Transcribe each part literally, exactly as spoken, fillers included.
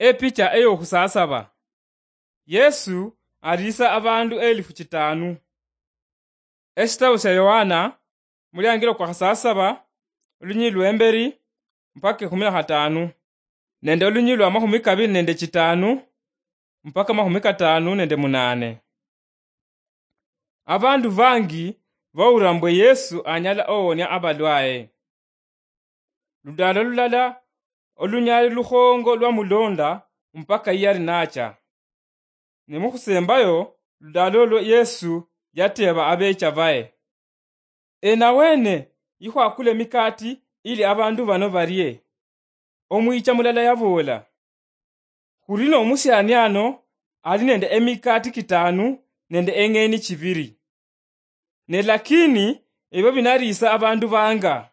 Epicha eyokhusasaba. Yesu aliisa abandu elifu chitaanu. Eshitabu shia Yohana, muliangilo kwa khasasaba, olunyili lwemberi mpaka ekhumi na khataanu, nende olunyili lwa makhumi kabili nende chitaanu mpaka makhumi kataanu nende munaane. Abandu bangi bawulira mbwe Yesu anyala owonia abalwaye. Ludaalo lulala, olunyali lukhongo lwamulonda mpaka yali nacha. Ne mukhusembayo ludaalo olwo, Yesu yateeba abeecha baye, "Ena wene yikhwakula emikati ili abandu bano barie?" Omwicha mulala yaboola, "Khuli nomusiani ano ali nende emikati kitaanu nende eng'eni chibiri. Ne lakini ebyo binaliisa abandu banga?"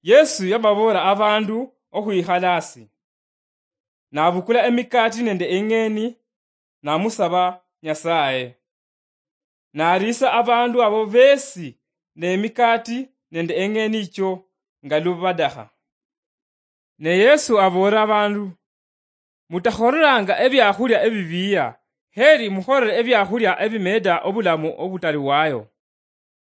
Yesu yababoola abandu okhwikhala asi, nabukula emikati nende eng'eni, namusaba Nyasaye. Naliisa abandu abo besi ne emikati nende eng'eni icho nga lubadakha. Ne Yesu aboola abandu, "Mutakholelanga ebiakhulia ebibiiya, heri mukholele ebiakhulia ebimeeda obulamu obutaliwayo.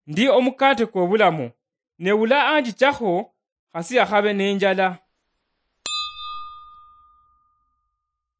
Ndi omukate kwobulamu, ne ula anjichakho, khasi yakhabe nenjala,